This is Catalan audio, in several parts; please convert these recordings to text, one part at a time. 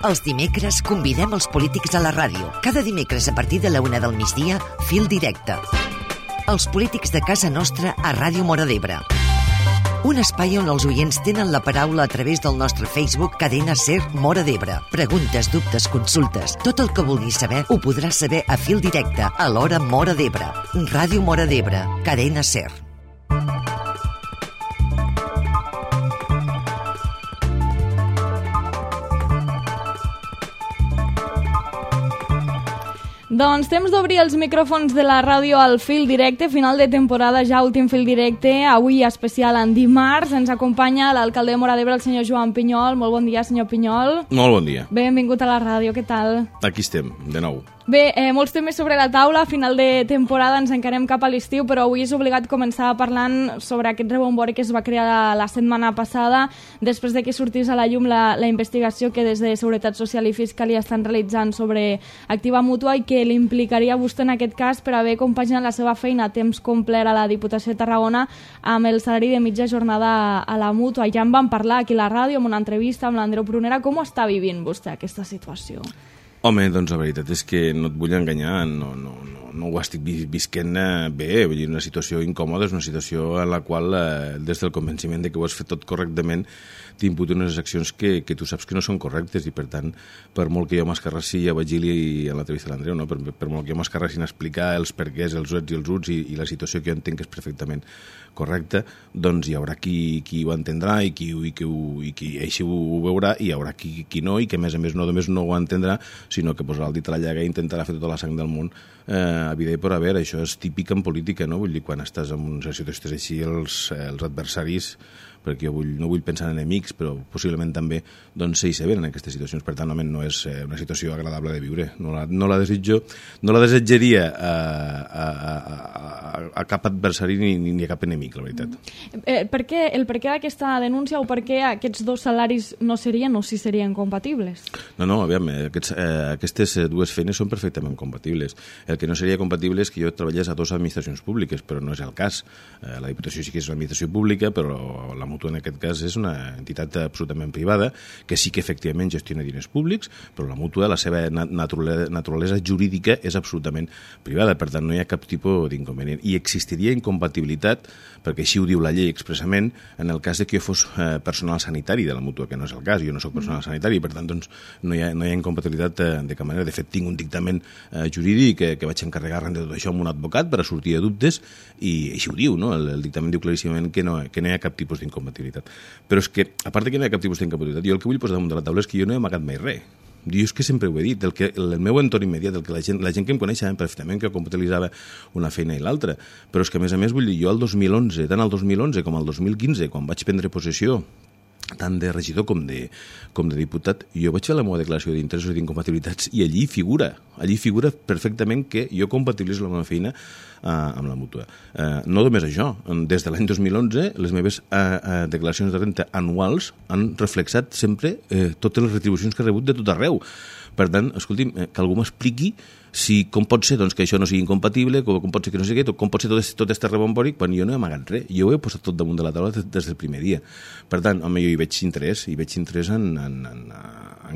Els dimecres convidem els polítics a la ràdio. Cada dimecres a partir de la 1 del migdia, Fil Directe. Els polítics de casa nostra a Ràdio Móra d'Ebre. Un espai on els oients tenen la paraula a través del nostre Facebook Cadena Ser Móra d'Ebre. Preguntes, dubtes, consultes, tot el que vulguis saber ho podràs saber a Fil Directe a l'hora Móra d'Ebre. Ràdio Móra d'Ebre, Cadena Ser. Doncs temps d'obrir els micròfons de la ràdio al Fil Directe, final de temporada, ja últim Fil Directe, avui especial en dimarts. Ens acompanya l'alcalde de Móra d'Ebre, el senyor Joan Pinyol. Molt bon dia, senyor Pinyol. Molt bon dia. Benvingut a la ràdio, què tal? Aquí estem, de nou. Bé, molts temes sobre la taula, final de temporada, ens encarem cap a l'estiu, però avui és obligat començar parlant sobre aquest rebombori que es va crear la setmana passada, després de que sortís a la llum la investigació que des de Seguretat Social i Fiscalia estan realitzant sobre Activa Mútua i que l'implicaria vostè en aquest cas per haver compaginat la seva feina a temps complet a la Diputació de Tarragona amb el salari de mitja jornada a la Mútua. Ja en vam parlar aquí a la ràdio, amb una entrevista amb l'Andreu Prunera. Com està vivint vostè aquesta situació? Home, doncs la veritat és que no et vull enganyar, no ho estic visquent bé, vull dir, una situació incòmoda, és una situació en la qual, des del convenciment de que ho has fet tot correctament, t'imputo unes accions que tu saps que no són correctes i, per tant, per molt que jo m'escarrassi, ja vaig dir a l'entrevista de l'Andreu, no? per molt que jo m'escarrassi en explicar els perquès, els uts i els uts i la situació que jo entenc que és perfectament correcta, doncs hi haurà qui ho entendrà i qui així ho veurà, i hi haurà qui no, i que a més no només no ho entendrà, sinó que posarà el dit a la llaga i intentarà fer tota la sang del món a vida i per haver. Això és típic en política, no? Vull dir, quan estàs en una situació així, els adversaris, perquè jo no vull pensar en enemics, però possiblement també doncs s'assabenten en aquestes situacions. Per tant, no és una situació agradable de viure. No la desitjaria a cap adversari ni a cap enemic, la veritat. El per què d'aquesta denúncia o per què aquests dos salaris no serien o sí serien compatibles? No, aviam, aquestes dues feines són perfectament compatibles. El que no seria compatible és que jo treballés a dues administracions públiques, però no és el cas. La Diputació sí que és una administració pública, però la Mútua en aquest cas és una entitat absolutament privada que sí que efectivament gestiona diners públics, però la Mútua, la seva naturalesa jurídica és absolutament privada, per tant no hi ha cap tipus d'inconvenient. I existiria incompatibilitat, perquè així ho diu la llei expressament, en el cas de que jo fos personal sanitari de la Mútua, que no és el cas, jo no soc personal sanitari, per tant doncs, no hi ha incompatibilitat de cap manera. De fet, tinc un dictamen jurídic que vaig encarregar arran de tot això amb un advocat per a sortir de dubtes, i així ho diu, no? El dictamen diu claríssimament que no hi ha cap tipus d'incompatibilitat. Però és que, a part que no hi ha cap tipus d'incompatibilitat, jo el que vull posar damunt de la taula és que jo no he amagat mai res. Jo és que sempre ho he dit, el meu entorn immediat, la gent que em coneix saben perfectament que compatibilitzava una feina i l'altra, però és que a més vull dir, jo el 2011, tant el 2011 com el 2015, quan vaig prendre possessió tant de regidor com de diputat, jo vaig fer la meva declaració d'interessos i d'incompatibilitats i allí figura perfectament que jo compatibilitzo la meva feina amb la Mútua. No només això, des de l'any 2011 les meves declaracions de renta anuals han reflexat sempre totes les retribucions que he rebut de tot arreu. Per tant, escolti'm, que algú m'expliqui com pot ser doncs, que això no sigui incompatible, com pot ser que no sigui, com pot ser tot este rebombori, quan jo no he amagat res. Jo ho he posat tot damunt de la taula des del primer dia. Per tant, home, jo hi veig interès en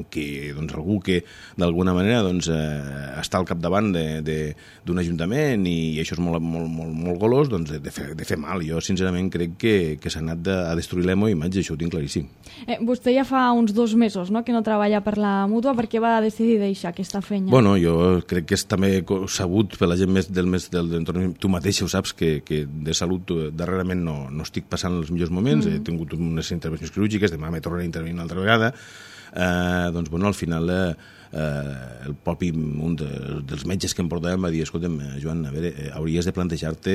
que doncs, algú que d'alguna manera doncs, està al capdavant d'un ajuntament i això és molt golós, doncs, de fer mal. Jo sincerament crec que s'ha anat a destruir la meva imatge, això ho tinc claríssim. Vostè ja fa uns 2 mesos, no?, que no treballa per la Mútua. Per què va decidir deixar aquesta feina? Bueno, jo crec que és també sabut per la gent més de l'entorn. Tu mateixa ho saps, que de salut darrerament no estic passant els millors moments. He tingut unes intervencions quirúrgiques, demà me tornaré a intervenir una altra vegada. Doncs, bueno, al final el propi un dels metges que em portàvem va dir: escolta'm, Joan, a veure, hauries de plantejar-te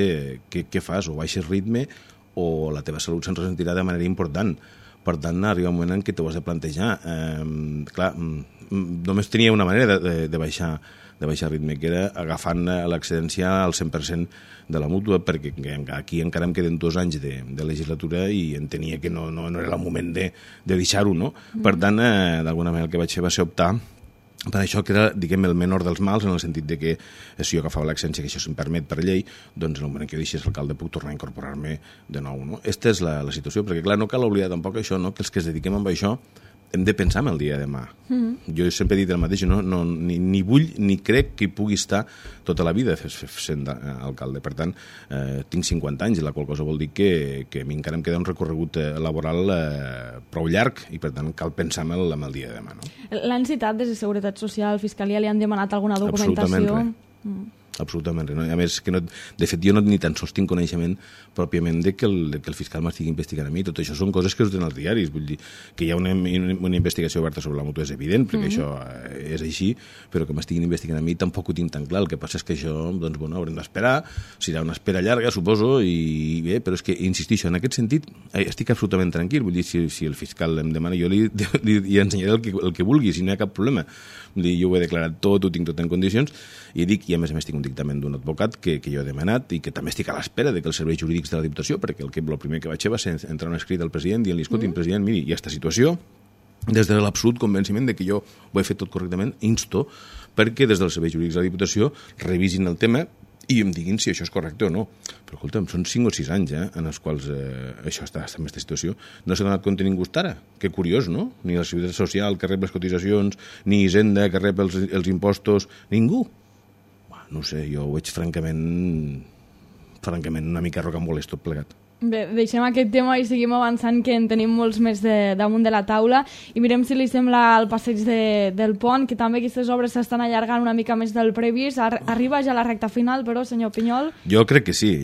què fas, o baixes ritme o la teva salut se'n ressentirà de manera important. Per tant, arriba un moment en què t'ho has de plantejar. Clar, només tenia una manera de baixar ritme, que era agafant l'excedència al 100% de la Mútua, perquè aquí encara em queden 2 anys de legislatura i entenia que no era el moment de deixar-ho, no? Per tant, d'alguna manera el que vaig fer va ser optar per això, que era, diguem, el menor dels mals, en el sentit de que si jo agafava l'excedència, que això se'm permet per llei, doncs en el moment que jo deixés l'alcalde puc tornar a incorporar-me de nou, no? Aquesta és la situació, perquè clar, no cal oblidar tampoc això, no?, que els que es dediquem a això hem de pensar en el dia de demà. Jo sempre he dit el mateix, ni vull ni crec que hi pugui estar tota la vida sent alcalde. Per tant, tinc 50 anys, la qual cosa vol dir que a mi encara em queda un recorregut laboral prou llarg i, per tant, cal pensar en el dia de demà. No? L'han citat des de Seguretat Social, Fiscalia, li han demanat alguna documentació? Absolutament res. No? A més, de fet, jo ni tan sols tinc coneixement pròpiament de que el fiscal m'estigui investigant a mi. Tot això són coses que es donen als diaris. Vull dir que hi ha una investigació oberta sobre la Mutua és evident, perquè això és així, però que m'estiguin investigant a mi tampoc ho tinc tan clar. El que passa és que això, doncs, bueno, haurem d'esperar. Serà una espera llarga, suposo, i bé, però és que, insistixo, en aquest sentit estic absolutament tranquil. Vull dir, si el fiscal em demana, jo li ensenyaré el que vulgui, si no hi ha cap problema. Vull dir, jo ho he declarat tot, ho tinc tot en condicions, i dic, i a més tinc un dictamen d'un advocat que jo he demanat i que també estic a l'espera de que els serveis jurídics de la Diputació, perquè el primer que vaig fer va ser entrar un escrit al president dient-li, escolti, president, miri, hi ha aquesta situació, des de l'absolut convenciment de que jo ho he fet tot correctament, insto perquè des dels serveis jurídics de la Diputació revisin el tema i em diguin si això és correcte o no. Però, escolta'm, són 5 o 6 anys en els quals això està en aquesta situació. No s'ha donat compte ningú ara. Que curiós, no? Ni la Seguretat Social, que rep les cotitzacions, ni Hisenda, que rep els impostos, ningú. No sé, jo ho veig francament una mica rocambolès tot plegat. Bé, deixem aquest tema i seguim avançant, que en tenim molts més damunt de la taula, i mirem si li sembla el passeig del pont, que també aquestes obres s'estan allargant una mica més del previst. Arriba ja la recta final, però, senyor Pinyol? Jo crec que sí.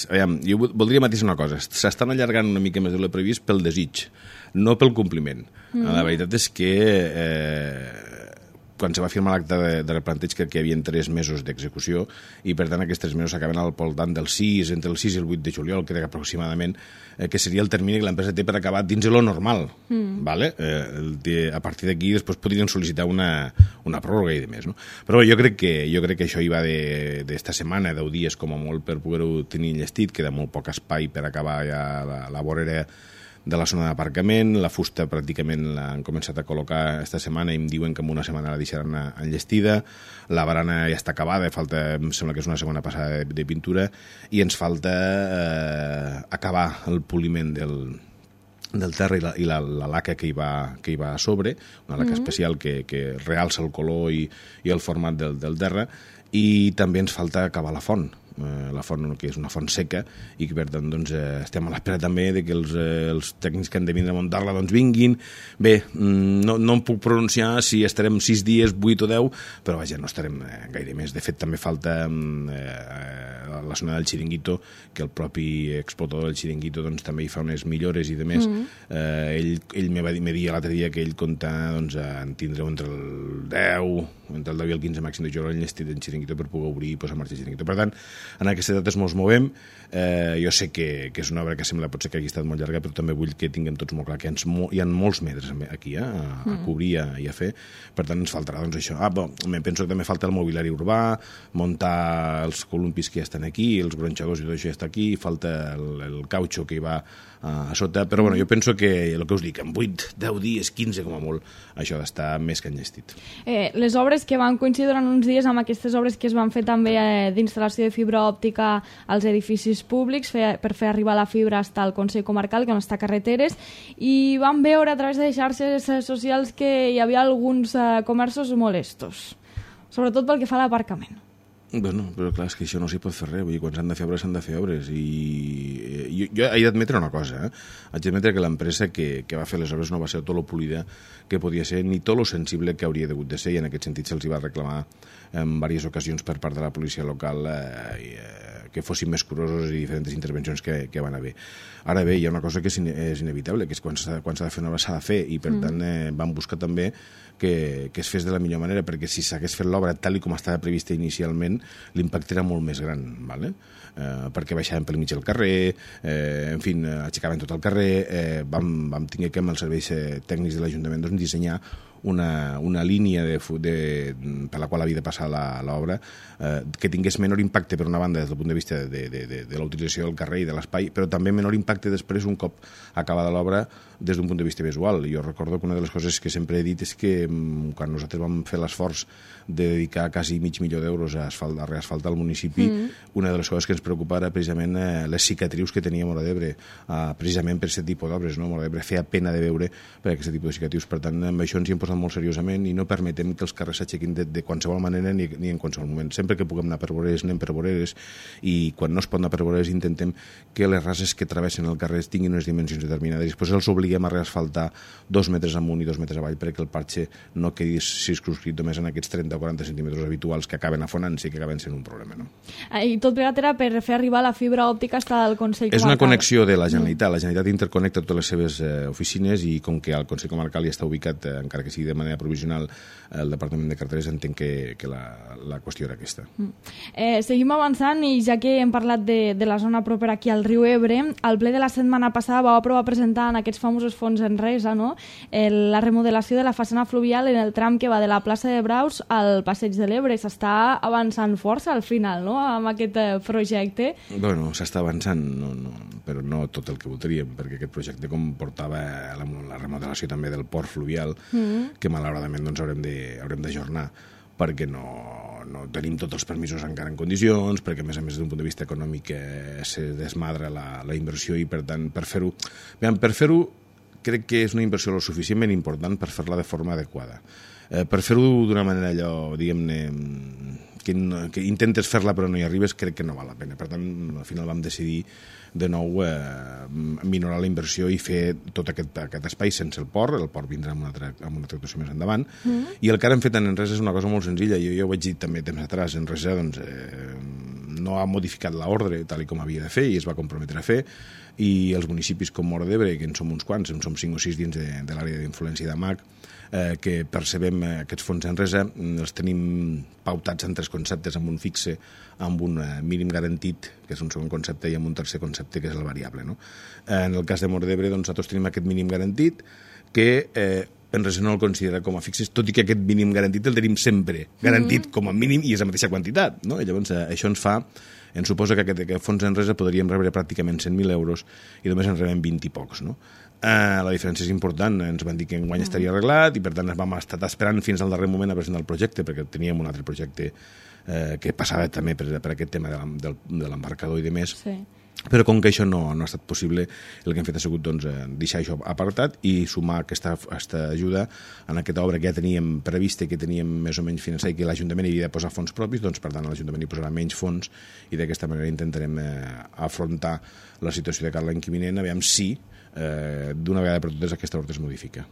Aviam, jo voldria matisar una cosa. S'estan allargant una mica més del previst pel desig, no pel compliment. La veritat és que quan se va firmar l'acte de replanteig crec que hi havia 3 mesos d'execució i per tant aquests 3 mesos s'acaben al voltant del 6, entre el 6 i el 8 de juliol, crec aproximadament, que seria el termini que l'empresa té per acabar dins de lo normal. Vale? A partir d'aquí després podrien sol·licitar una pròrroga i demés. No? Però jo crec que això hi va d'esta setmana, 10 dies com a molt per poder-ho tenir enllestit, queda molt poc espai per acabar ja la vorera de la zona d'aparcament. La fusta pràcticament l'han començat a col·locar esta setmana i em diuen que en una setmana la deixaran enllestida. La barana ja està acabada, em sembla que és una segona passada de pintura, i ens falta acabar el poliment del terra i la laca que hi va a sobre, una laca especial que realça el color i el format del terra, i també ens falta acabar la font, que és una font seca, i que per tant estem a l'espera també de que els tècnics que han de vindre a muntar-la vinguin. Bé, no em puc pronunciar si estarem 6 dies, 8 o 10, però vaja, no estarem gaire més. De fet, també falta la zona del xiringuito, que el propi explotador del xiringuito també hi fa unes millores i demés. Ell me dia l'altre dia que ell compta en tindre entre el 10 i el 15 màxim de jugador enllestit en xiringuito per poder obrir i posar en marxa el xiringuito. Per tant, en aquestes dates ens movem. Jo sé que és una obra que sembla potser que hagi estat molt llarga, però també vull que tinguem tots molt clar que hi ha molts metres aquí a cobrir i a fer. Per tant, ens faltarà això. Penso que també falta el mobiliari urbà, muntar els columpis que ja estan aquí, els gronxadors i tot això ja està aquí, falta el cautxo que hi va a sota, però bueno, jo penso que el que us dic, en 8, 10 dies, 15 com a molt, això ha d'estar més que enllestit. Les obres que van coincidir durant uns dies amb aquestes obres que es van fer també d'instal·lació de fibra òptica als edificis públics per fer arribar la fibra fins al Consell Comarcal, que no està a carreteres, i vam veure a través de xarxes socials que hi havia alguns comerços molestos, sobretot pel que fa a l'aparcament. Bueno, però clar, és que això no s'hi pot fer res. Vull dir, quan s'han de fer obres, s'han de fer obres. I jo he d'admetre una cosa, Haig d'admetre que l'empresa que va fer les obres no va ser tot lo polida que podia ser, ni tot lo sensible que hauria degut de ser, i en aquest sentit se'ls va reclamar en diverses ocasions per part de la policia local que fossin més curosos i diferents intervencions que van haver. Ara bé, hi ha una cosa que és inevitable, que és quan s'ha de fer una obra s'ha de fer, i per tant vam buscar també que es fes de la millor manera, perquè si s'hagués fet l'obra tal com estava prevista inicialment, l'impacte era molt més gran, ¿vale? Perquè baixàvem pel mig del carrer, en fi, aixecaven tot el carrer, vam tenir que amb els serveis tècnics de l'Ajuntament dissenyar una línia per la qual havia de passar l'obra que tingués menor impacte, per una banda, des del punt de vista de la utilització del carrer i de l'espai, però també menor impacte després, un cop acabada l'obra, des d'un punt de vista visual. Jo recordo que una de les coses que sempre he dit és que quan nosaltres vam fer l'esforç de dedicar quasi $500,000 a reasfaltar el municipi, una de les coses que ens preocupava era precisament les cicatrius que tenia Móra d'Ebre, precisament per aquest tipus d'obres. Móra d'Ebre feia pena de veure per aquest tipus de cicatrius. Per tant, amb això ens hi hem posat molt seriosament i no permetem que els carrers s'aixequin de qualsevol manera ni en qualsevol moment. Sempre que puguem anar per voreres, anem per voreres, i quan no es pot anar per voreres intentem que les rases que travessen el carrer tinguin unes dimensions determinades. Després els obliguem a reasfaltar 2 metres amunt i 2 metres avall perquè el parxe no quedi circumscrit només en aquests 30 o 40 centímetres habituals que acaben afonant-se i que acaben sent un problema. No? I tot plegat era per fer arribar la fibra òptica fins al Consell Comarcal. És una connexió de la Generalitat. La Generalitat interconnecta totes les seves oficines i com que el Consell Comarcal ja està ubicat, encara que sigui de manera provisional, el Departament de Carreteres entenc que la qüestió era aquesta. Seguim avançant i ja que hem parlat de la zona propera aquí al riu Ebre, al ple de la setmana passada vau aprovar presentar en aquests famosos fons Enresa, no? La remodelació de la façana fluvial en el tram que va de la plaça de Braus al Passeig de l'Ebre. S'està avançant força al final, no?, amb aquest projecte. Bueno, s'està avançant, però no tot el que voldríem, perquè aquest projecte comportava la remodelació també del port fluvial, que malauradament doncs, haurem d'ajornar, perquè no tenim tots els permisos encara en condicions, perquè a més d'un punt de vista econòmic se desmadra la inversió i per tant per fer-ho crec que és una inversió lo suficientment important per fer-la de forma adequada. Per fer-ho d'una manera allò, diguem-ne, que intentes fer-la però no hi arribes, crec que no val la pena. Per tant, al final vam decidir de nou minorar la inversió i fer tot aquest espai sense el port vindrà amb una tractació més endavant, i el que ara hem fet en Enresa és una cosa molt senzilla. Jo ja ho vaig dir també temps atrás, Enresa doncs, no ha modificat l'ordre tal com havia de fer i es va comprometre a fer, i els municipis com Móra d'Ebre, que en som uns quants, en som 5 o 6 dins de l'àrea d'influència de MAC, que percebem aquests fons Enresa, els tenim pautats en 3 conceptes, amb un fixe, amb un mínim garantit, que és un segon concepte, i amb un tercer concepte, que és el variable. No? En el cas de Móra d'Ebre, doncs, nosaltres tenim aquest mínim garantit, que Enresa no el considera com a fixes, tot i que aquest mínim garantit el tenim sempre garantit com a mínim i és la mateixa quantitat. No? I llavors això ens suposa que aquest fons Enresa podríem rebre pràcticament 100.000 euros i només en rebem 20 i pocs. No? La diferència és important, ens van dir que enguany estaria arreglat i per tant vam estar esperant fins al darrer moment a presentar el projecte, perquè teníem un altre projecte que passava també per aquest tema de l'embarcador i de més. Sí. Però com que això no ha estat possible, el que hem fet ha sigut doncs, deixar això apartat i sumar aquesta ajuda en aquesta obra que ja teníem prevista i que teníem més o menys finançada i que l'Ajuntament havia de posar fons propis, doncs per tant l'Ajuntament hi posarà menys fons i d'aquesta manera intentarem afrontar la situació de cara l'any que vinent, aviam si d'una vegada per totes aquesta ordre es modifica.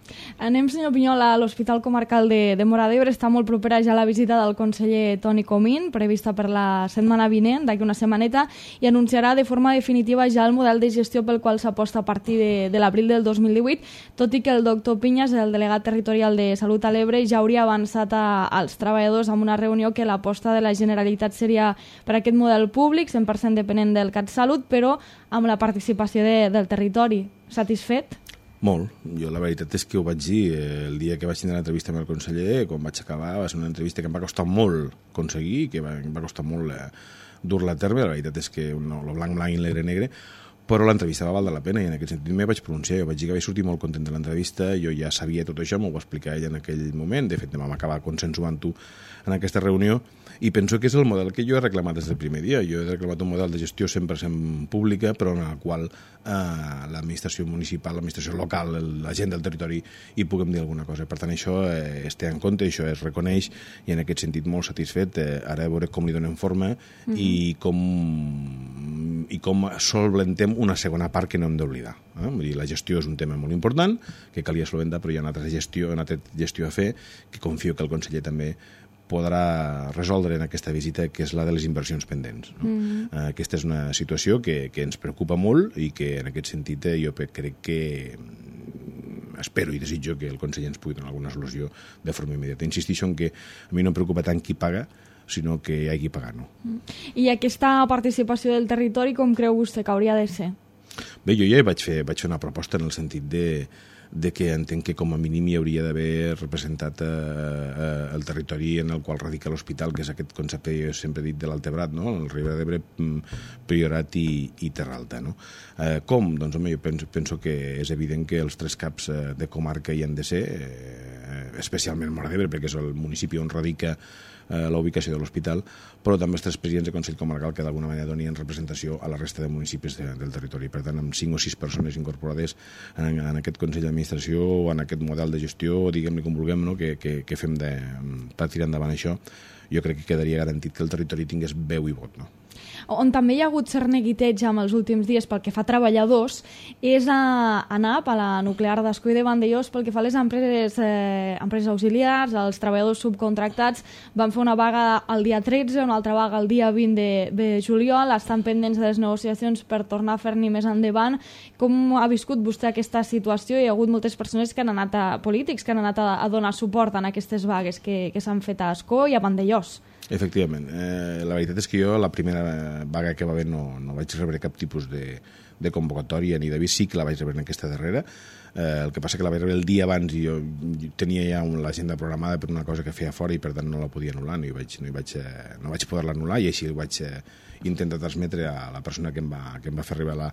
Anem, senyor Pinyol, a l'Hospital Comarcal de Móra d'Ebre. Està molt propera ja la visita del conseller Toni Comín, prevista per la setmana vinent, d'aquí una setmaneta, i anunciarà de forma definitiva ja el model de gestió pel qual s'aposta a partir de l'abril del 2018, tot i que el doctor Pinyas, el delegat territorial de Salut a l'Ebre, ja hauria avançat als treballadors amb una reunió que l'aposta de la Generalitat seria per aquest model públic, 100% depenent del CatSalut, però amb la participació del territori. Satisfet? Molt. Jo la veritat és que ho vaig dir el dia que vaig tenir l'entrevista amb el conseller, quan vaig acabar, va ser una entrevista que em va costar molt aconseguir, que em va costar molt dur-la a terme. La veritat és que no, lo blanc i negre negre, però l'entrevista va valdre la pena i en aquest sentit me vaig pronunciar. Jo vaig dir que vaig sortir molt content de l'entrevista, jo ja sabia tot això, m'ho va explicar ella en aquell moment, de fet vam acabar consensuant-ho en aquesta reunió, i penso que és el model que jo he reclamat des del primer dia. Jo he reclamat un model de gestió 100% pública, però en el qual l'administració municipal, l'administració local, la gent del territori hi puguem dir alguna cosa. Per tant, això es té en compte, això es reconeix, i en aquest sentit molt satisfet. Ara veure com li donem forma i com solventem una segona part que no hem d'oblidar. Vull dir, la gestió és un tema molt important, que calia solventar, però hi ha una altra gestió a fer, que confio que el conseller també podrà resoldre en aquesta visita, que és la de les inversions pendents. No? Aquesta és una situació que ens preocupa molt i que en aquest sentit jo crec que espero i desitjo que el conseller ens pugui donar alguna solució de forma immediata. Insistixo en que a mi no em preocupa tant qui paga, sinó que hi hagi que pagar. No? I aquesta participació del territori com creu vostè que hauria de ser? Bé, jo ja vaig fer una proposta en el sentit de de que entenc que com a mínim hi hauria d'haver representat el territori en el qual radica l'hospital, que és aquest concepte, jo sempre he dit, de l'Altebrat, no? El Ribera d'Ebre, Priorat i Terra Alta. No? Com? Doncs, home, jo penso que és evident que els 3 caps de comarca hi han de ser, especialment Móra d'Ebre, perquè és el municipi on radica la ubicació de l'hospital, però també els 3 presidents de Consell Comarcal que d'alguna manera donien representació a la resta de municipis del territori. Per tant, amb 5 o 6 persones incorporades en aquest Consell d'Administració o en aquest model de gestió, diguem-ne com vulguem, no? que fem per tirar endavant això, jo crec que quedaria garantit que el territori tingués veu i vot. No? On també hi ha hagut cert neguiteig amb els últims dies pel que fa a treballadors és a ANAP, a la nuclear d'Ascó i de Vandellòs, pel que fa a les empreses auxiliars, els treballadors subcontractats. Van fer una vaga el dia 13, una altra vaga el dia 20 de juliol, estan pendents de les negociacions per tornar a fer-n'hi més endavant. Com ha viscut vostè aquesta situació? Hi ha hagut moltes persones que han anat polítics que han anat a donar suport en aquestes vagues que s'han fet a Ascó i a Vandellòs. Efectivament. La veritat és que jo la primera vaga que va haver no vaig rebre cap tipus de convocatòria ni d'avís, sí que la vaig rebre en aquesta darrera. El que passa que la vaig rebre el dia abans i jo tenia ja l'agenda programada per una cosa que feia fora i per tant no la podia anul·lar, no vaig poder-la anul·lar i així ho vaig intentar transmetre a la persona que em va fer arribar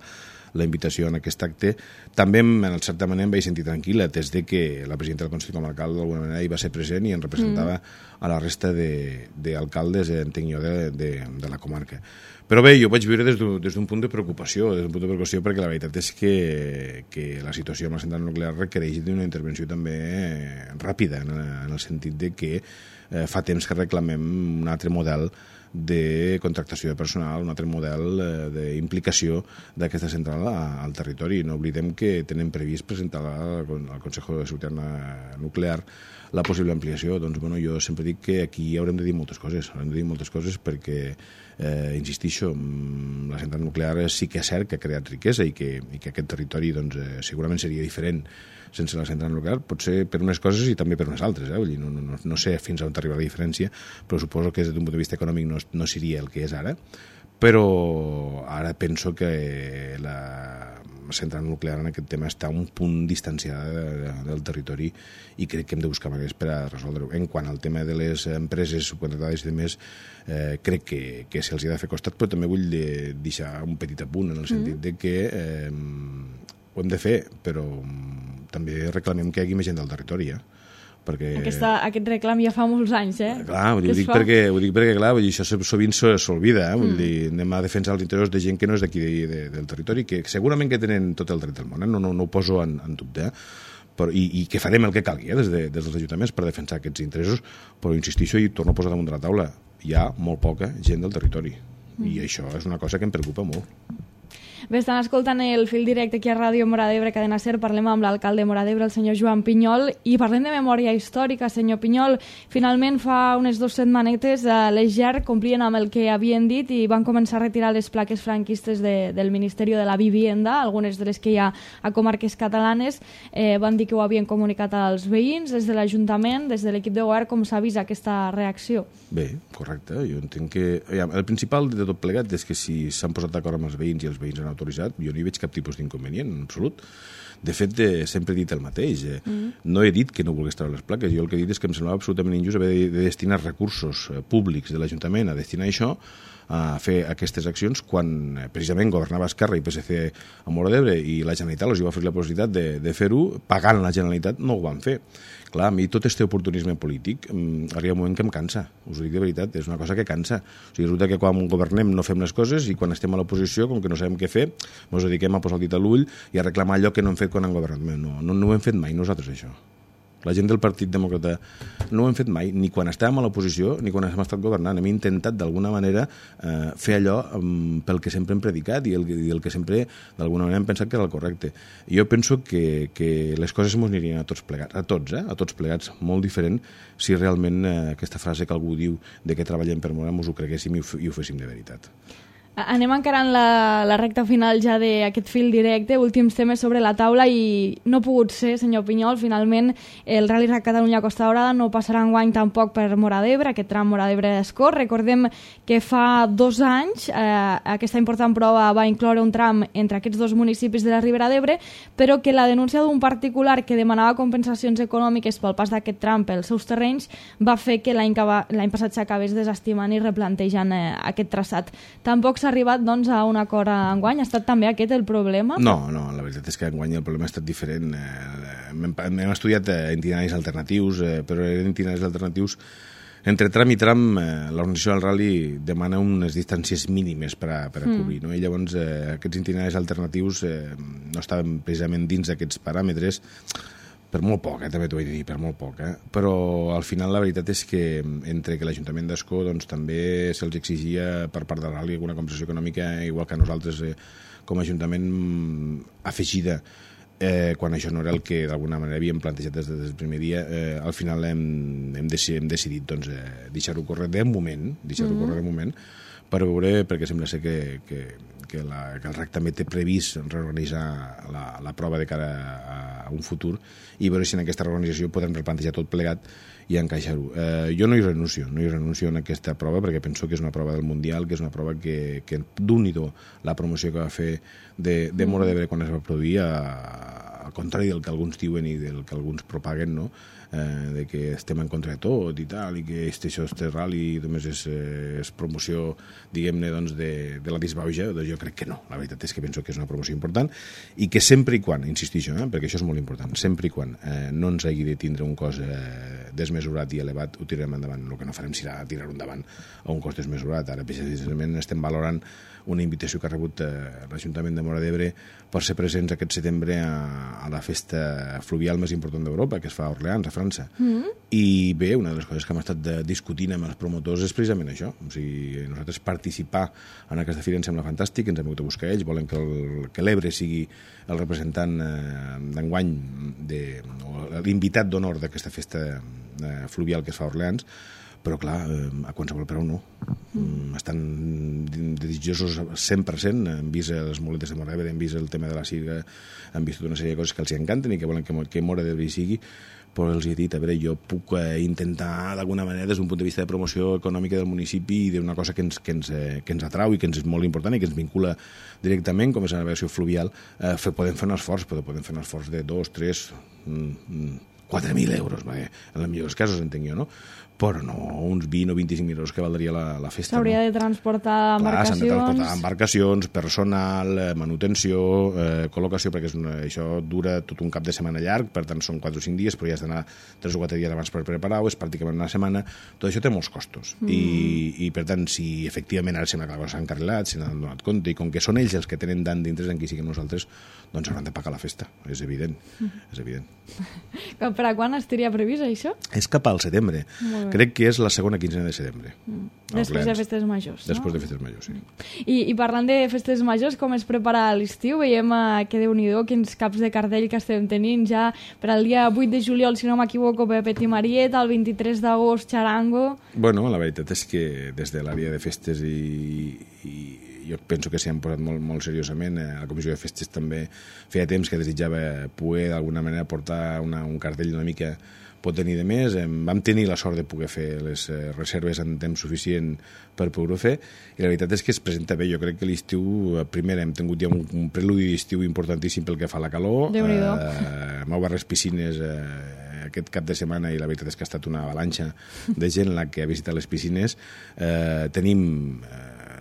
la invitació en aquest acte. També, en certa manera, em vaig sentir tranquil·la, des de que la presidenta del Consell Comarcal d'alguna manera hi va ser present i en representava a la resta d'alcaldes, entenc jo, de la comarca. Però bé, jo ho vaig viure des d'un punt de preocupació, perquè la veritat és que la situació amb la central nuclear requereix d'una intervenció també ràpida, en el sentit de que fa temps que reclamem un altre model de contractació de personal, un altre model d'implicació d'aquesta central al territori. No oblidem que tenen previst presentar al Consejo de Seguridad Nuclear la possible ampliació. Doncs, bueno, jo sempre dic que aquí haurem de dir moltes coses, perquè, insistixo, la central nuclear sí que és cert que ha creat riquesa i que aquest territori doncs, segurament seria diferent sense la central nuclear, pot ser per unes coses i també per unes altres. Vull dir, no sé fins on arriba la diferència, però suposo que des d'un punt de vista econòmic no seria el que és ara, però ara penso que la central nuclear en aquest tema està un punt distanciada del territori i crec que hem de buscar maneres per a resoldre-ho. En quant al tema de les empreses subcontractades i demés, crec que se'ls ha de fer costat, però també vull deixar un petit apunt en el sentit de que ho hem de fer, però també reclamem que hi hagi més gent del territori, perquè... Aquest reclam ja fa molts anys, Clar, ho dic perquè clar, això sovint s'olvida, vull dir, anem a defensar els interessos de gent que no és d'aquí del territori, que segurament que tenen tot el dret del món, no ho poso en dubte, però, i que farem el que calgui des dels ajuntaments per defensar aquests interessos, però insistixo i torno a posar damunt de la taula, hi ha molt poca gent del territori, i això és una cosa que em preocupa molt. Bé, estan escoltant el fil directe aquí a Ràdio Móra d'Ebre, Cadena SER. Parlem amb l'alcalde de Móra d'Ebre, el senyor Joan Pinyol, i parlem de memòria històrica. Senyor Pinyol, finalment fa unes 2 setmanetes les GER complien amb el que havien dit i van començar a retirar les plaques franquistes del Ministeri de la Vivienda, algunes de les que hi ha a comarques catalanes. Van dir que ho havien comunicat als veïns, des de l'Ajuntament, des de l'equip de govern. Com s'ha vist aquesta reacció? Bé, correcte. Jo entenc que... El principal de tot plegat és que si s'han posat d'acord amb els veïns i els veïns han autoritzat, jo no hi veig cap tipus d'inconvenient, en absolut. De fet, sempre he dit el mateix. No he dit que no volgués treure les plaques. Jo el que he dit és que em semblava absolutament injust haver de destinar recursos públics de l'Ajuntament a destinar això, a fer aquestes accions, quan precisament governava Esquerra i PSC a Móra d'Ebre i la Generalitat els va fer la possibilitat de fer-ho, pagant la Generalitat no ho van fer. Clar, a mi tot aquest oportunisme polític arriba un moment que em cansa, us ho dic de veritat, és una cosa que cansa. O sigui, resulta que quan governem no fem les coses i quan estem a l'oposició, com que no sabem què fer, ens dediquem a posar el dit a l'ull i a reclamar allò que no hem fet quan han governat. No ho hem fet mai nosaltres, això. La gent del Partit Demòcrata no ho hem fet mai, ni quan estàvem a l'oposició ni quan hem estat governant. Hem intentat d'alguna manera fer allò pel que sempre hem predicat i el que sempre d'alguna manera hem pensat que era el correcte. Jo penso que les coses ens anirien a tots plegats, a tots plegats, molt diferent si realment aquesta frase que algú diu de que treballem per Móra ens ho creguéssim i ho féssim de veritat. Anem encarant la recta final ja d'aquest fil directe, últims temes sobre la taula i no ha pogut ser, senyor Pinyol, finalment el Rally Rac Catalunya-Costa Daurada no passarà enguany tampoc per Móra d'Ebre, aquest tram Móra d'Ebre-Escó. Recordem que fa 2 anys aquesta important prova va incloure un tram entre aquests 2 municipis de la Ribera d'Ebre, però que la denúncia d'un particular que demanava compensacions econòmiques pel pas d'aquest tram pels seus terrenys va fer que l'any passat s'acabés desestimant i replantejant aquest traçat. Tampoc s'ha arribat doncs, a un acord enguany? Ha estat també aquest el problema? No, la veritat és que enguany el problema ha estat diferent. Hem estudiat itineraris alternatius, però eren itineraris alternatius. Entre tram i tram, l'organització del rally demana unes distàncies mínimes per a cobrir. No? I llavors aquests itineraris alternatius no estaven precisament dins d'aquests paràmetres, per molt poc, també t'ho he de dir, per molt poc. Però al final la veritat és que entre que l'Ajuntament d'Escó doncs, també se'ls exigia per part del rally alguna compensació econòmica, igual que a nosaltres com a Ajuntament afegida, quan això no era el que d'alguna manera havíem plantejat des del primer dia, al final hem decidit doncs, deixar-ho córrer de moment, per veure, perquè sembla ser que el RAC també té previst reorganitzar la prova de cara a un futur i veure si en aquesta reorganització podem replantejar tot plegat i encaixar-ho. Jo no hi renuncio en aquesta prova perquè penso que és una prova del Mundial, que és una prova que d'un-i-do la promoció que va fer de Móra d'Ebre quan es va produir, al contrari del que alguns diuen i del que alguns propaguen, no? De que estem en contra de tot i tal, i que això és rally i només és promoció, diguem-ne, doncs, de la disbauja. Doncs jo crec que no. La veritat és que penso que és una promoció important i que sempre i quan, insistixo, perquè això és molt important, sempre i quan no ens hagi de tindre un cost desmesurat i elevat, ho tirarem endavant. El que no farem serà tirar-ho endavant a un cost desmesurat. Ara, precisament, estem valorant una invitació que ha rebut l'Ajuntament de Móra d'Ebre per ser presents aquest setembre a la festa fluvial més important d'Europa, que es fa a Orleans, a França. I bé, una de les coses que hem estat discutint amb els promotors és precisament això. O sigui, nosaltres participar en aquesta fira ens sembla fantàstic, ens hem hagut a buscar ells, volen que l'Ebre sigui el representant d'enguany, l'invitat d'honor d'aquesta festa fluvial que es fa a Orleans, però clar, a qualsevol preu no. Estan desitjosos 100%, han vist les muletes de Móra d'Ebre, han vist el tema de la Sirga, han vist tota una sèrie de coses que els encanten i que volen que Móra d'Ebre hi sigui, però els he dit, a veure, jo puc intentar d'alguna manera des d'un punt de vista de promoció econòmica del municipi i d'una cosa que ens atrau i que ens és molt important i que ens vincula directament, com és la navegació fluvial, podem fer un esforç, però podem fer un esforç de 2, 3, 4.000 euros, en els millors casos, entenc jo, no? Però no uns 20 o 25.000 euros que valdria la festa. S'hauria de transportar embarcacions. S'han de transportar embarcacions, personal, manutenció, col·locació, perquè això dura tot un cap de setmana llarg, per tant són 4 o 5 dies, però ja has d'anar 3 o 4 dies abans per preparar-ho, és pràcticament una setmana. Tot això té molts costos. I per tant, si efectivament ara sembla que la cosa s'ha encarrilat, se n'han donat compte, i com que són ells els que tenen tant d'interès en qui siguem nosaltres, doncs hauran de pagar la festa, és evident. És evident. Per a quan estaria previst això? És cap al setembre. Crec que és la segona quinzena de setembre. Després de festes majors, no? Després de festes majors, sí. I parlant de festes majors, com es prepara l'estiu? Veiem que Déu-n'hi-do, quins caps de cartell que estem tenint ja per al dia 8 de juliol, si no m'equivoco, Pepet i Marieta, el 23 d'agost, Charango... Bueno, la veritat és que des de l'àrea de festes i jo penso que s'hi han posat molt, molt seriosament. La Comissió de Festes també feia temps que desitjava poder d'alguna manera portar un cartell una mica potent i de més. Vam tenir la sort de poder fer les reserves en temps suficient per poder-ho fer i la veritat és que es presenta bé. Jo crec que l'estiu, primer hem tingut ja un preludi d'estiu importantíssim pel que fa a la calor. Hem obert les piscines aquest cap de setmana i la veritat és que ha estat una avalanxa de gent la que ha visitat les piscines. Tenim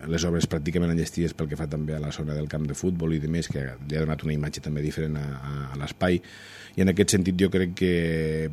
les obres pràcticament enllestides pel que fa també a la zona del camp de futbol i demés, que li ha donat una imatge també diferent a l'espai. I en aquest sentit jo crec que,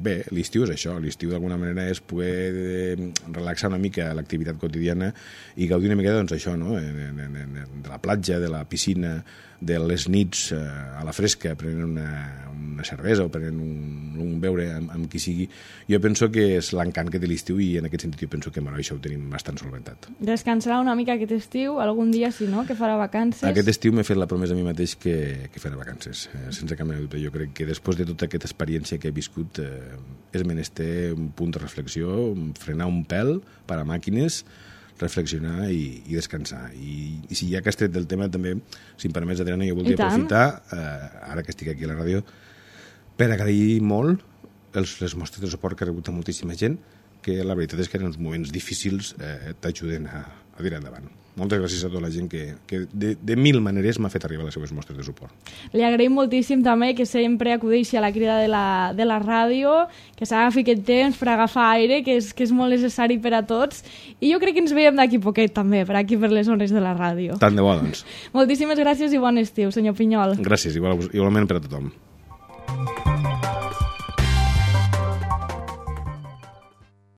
bé, l'estiu és això. L'estiu d'alguna manera és poder relaxar una mica l'activitat quotidiana i gaudir una mica, doncs, això, no? De la platja, de la piscina, de les nits a la fresca, prenent una cervesa o prenent un beure amb qui sigui. Jo penso que és l'encant que té l'estiu i en aquest sentit jo penso que amb això ho tenim bastant solventat. Descansarà una mica aquest estiu, algun dia si no, que farà vacances? Aquest estiu m'he fet la promesa a mi mateix que farà vacances, sense cap mena de dubte. Jo crec que després de tota aquesta experiència que he viscut és menester un punt de reflexió, frenar un pèl, parar màquines, reflexionar i descansar. I si ja que has tret del tema, també, si em permets, Adriana, jo voldria aprofitar, ara que estic aquí a la ràdio, per agrair molt les mostres de suport que ha rebut a moltíssima gent, que la veritat és que en uns moments difícils t'ajuden a tirar endavant. Moltes gràcies a tota la gent que de mil maneres m'ha fet arribar les seves mostres de suport. Li agraïm moltíssim també que sempre acudeixi a la crida de la ràdio, que s'agafi aquest temps per agafar aire, que és molt necessari per a tots, i jo crec que ens veiem d'aquí poquet també, per aquí per les zones de la ràdio. Tant de bo, doncs. Moltíssimes gràcies i bon estiu, senyor Pinyol. Gràcies, igualment per a tothom.